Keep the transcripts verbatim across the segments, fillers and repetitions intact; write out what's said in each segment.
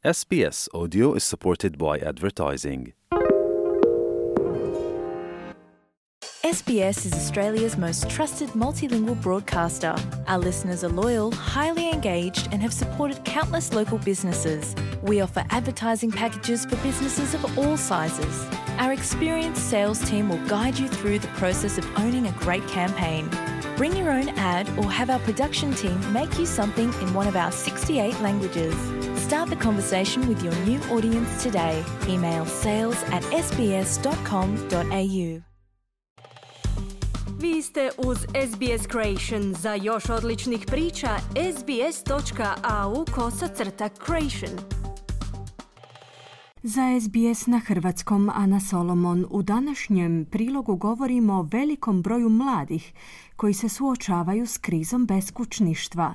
S B S Audio is supported by advertising. S B S is Australia's most trusted multilingual broadcaster. Our listeners are loyal, highly engaged, and have supported countless local businesses. We offer advertising packages for businesses of all sizes. Our experienced sales team will guide you through the process of owning a great campaign. Bring your own ad or have our production team make you something in one of our sixty-eight languages. Start the conversation with your new audience today. Email sales at s b s dot com dot a u. Vi ste uz S B S Creation. Za još odličnih priča, sbs.au kosacrta creation. Za S B S na hrvatskom Ana Solomon. U današnjem prilogu govorimo o velikom broju mladih koji se suočavaju s krizom beskućništva.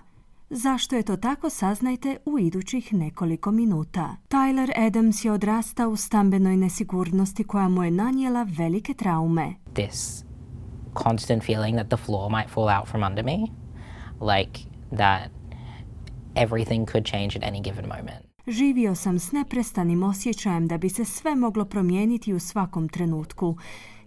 Zašto je to tako, saznajte u idućih nekoliko minuta. Tyler Adams je odrastao u stambenoj nesigurnosti koja mu je nanijela velike traume. This constant feeling that the floor might fall out from under me, like that everything could change at any given moment. Živio sam s neprestanim osjećajem da bi se sve moglo promijeniti u svakom trenutku.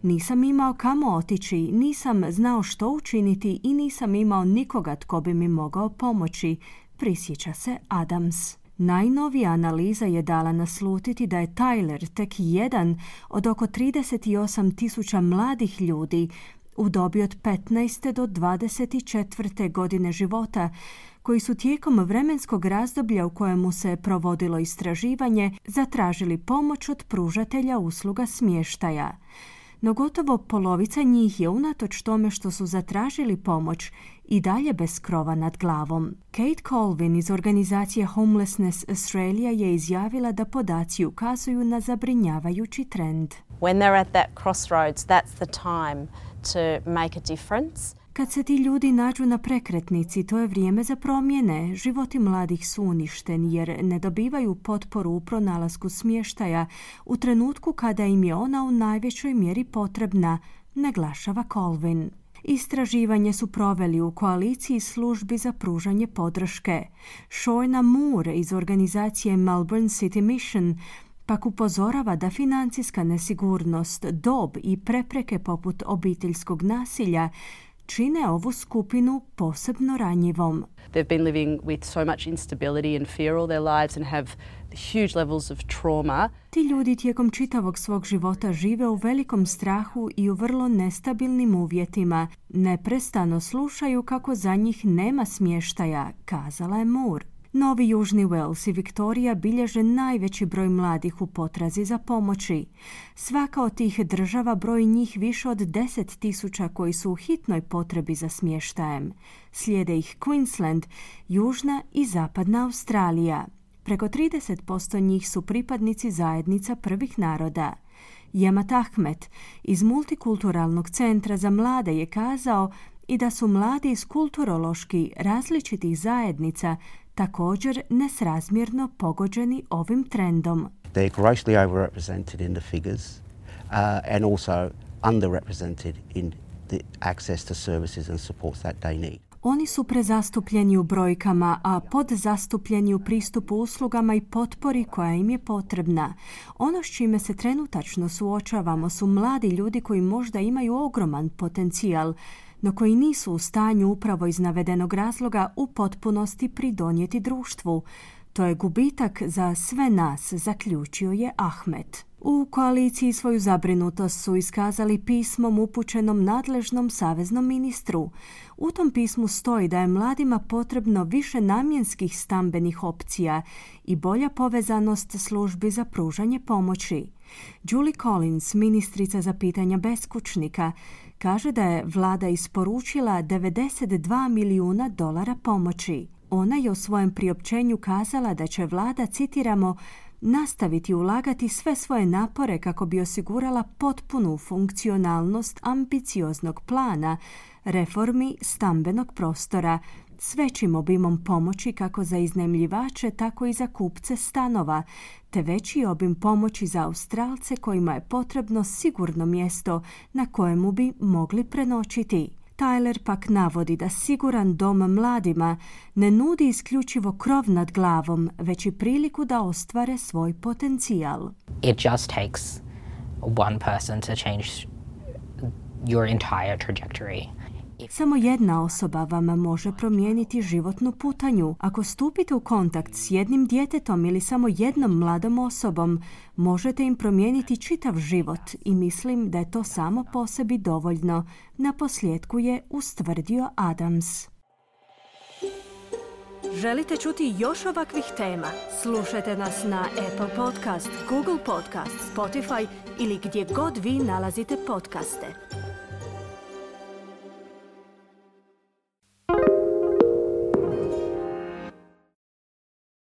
Nisam imao kamo otići, nisam znao što učiniti i nisam imao nikoga tko bi mi mogao pomoći, prisjeća se Adams. Najnovija analiza je dala naslutiti da je Tyler tek jedan od oko trideset osam tisuća mladih ljudi u dobi od petnaeste do dvadeset četvrte godine života, koji su tijekom vremenskog razdoblja u kojemu se provodilo istraživanje zatražili pomoć od pružatelja usluga smještaja. No gotovo polovica njih je, unatoč tome što su zatražili pomoć, i dalje bez krova nad glavom. Kate Colvin iz organizacije Homelessness Australia je izjavila da podaci ukazuju na zabrinjavajući trend. When they're at that crossroads, that's the time to make a difference. Kad se ti ljudi nađu na prekretnici, to je vrijeme za promjene. Životi mladih su uništeni jer ne dobivaju potporu u pronalasku smještaja u trenutku kada im je ona u najvećoj mjeri potrebna, naglašava Colvin. Istraživanje su proveli u koaliciji službi za pružanje podrške. Shona Moore iz organizacije Melbourne City Mission pak upozorava da financijska nesigurnost, dob i prepreke poput obiteljskog nasilja čine ovu skupinu posebno ranjivom. They've been living with so much instability and fear all their lives and have huge levels of trauma. Ti ljudi tijekom čitavog svog života žive u velikom strahu i u vrlo nestabilnim uvjetima. Neprestano slušaju kako za njih nema smještaja, kazala je Moore. Novi Južni Wales i Viktorija bilježe najveći broj mladih u potrazi za pomoći. Svaka od tih država broji njih više od deset tisuća koji su u hitnoj potrebi za smještajem. Slijede ih Queensland, Južna i Zapadna Australija. Preko trideset posto njih su pripadnici zajednica prvih naroda. Jemat Ahmed iz Multikulturalnog centra za mlade je kazao i da su mladi iz kulturološki različitih zajednica također nesrazmjerno pogođeni ovim trendom. They're grossly overrepresented in the figures uh, and also underrepresented in the access to services and supports that they need. Oni su prezastupljeni u brojkama, a podzastupljeni u pristupu uslugama i potpori koja im je potrebna. Ono s čime se trenutačno suočavamo su mladi ljudi koji možda imaju ogroman potencijal, no koji nisu u stanju upravo iz navedenog razloga u potpunosti pridonijeti društvu. To je gubitak za sve nas, zaključio je Ahmed. U koaliciji svoju zabrinutost su iskazali pismom upućenom nadležnom saveznom ministru. U tom pismu stoji da je mladima potrebno više namjenskih stambenih opcija i bolja povezanost službi za pružanje pomoći. Julie Collins, ministrica za pitanja beskućnika, kaže da je vlada isporučila devedeset dva milijuna dolara pomoći. Ona je u svojem priopćenju kazala da će vlada, citiramo, nastaviti ulagati sve svoje napore kako bi osigurala potpunu funkcionalnost ambicioznog plana reformi stambenog prostora s većim obimom pomoći kako za iznajmljivače, tako i za kupce stanova, te veći obim pomoći za Australce kojima je potrebno sigurno mjesto na kojemu bi mogli prenoćiti. Tyler pak navodi da siguran dom mladima ne nudi isključivo krov nad glavom, već i priliku da ostvare svoj potencijal. It just takes one person to change your entire trajectory. Samo jedna osoba vam može promijeniti životnu putanju. Ako stupite u kontakt s jednim djetetom ili samo jednom mladom osobom, možete im promijeniti čitav život i mislim da je to samo po sebi dovoljno. Na posljedku je ustvrdio Adams. Želite čuti još ovakvih tema? Slušajte nas na Apple Podcast, Google Podcast, Spotify ili gdje god vi nalazite podcaste.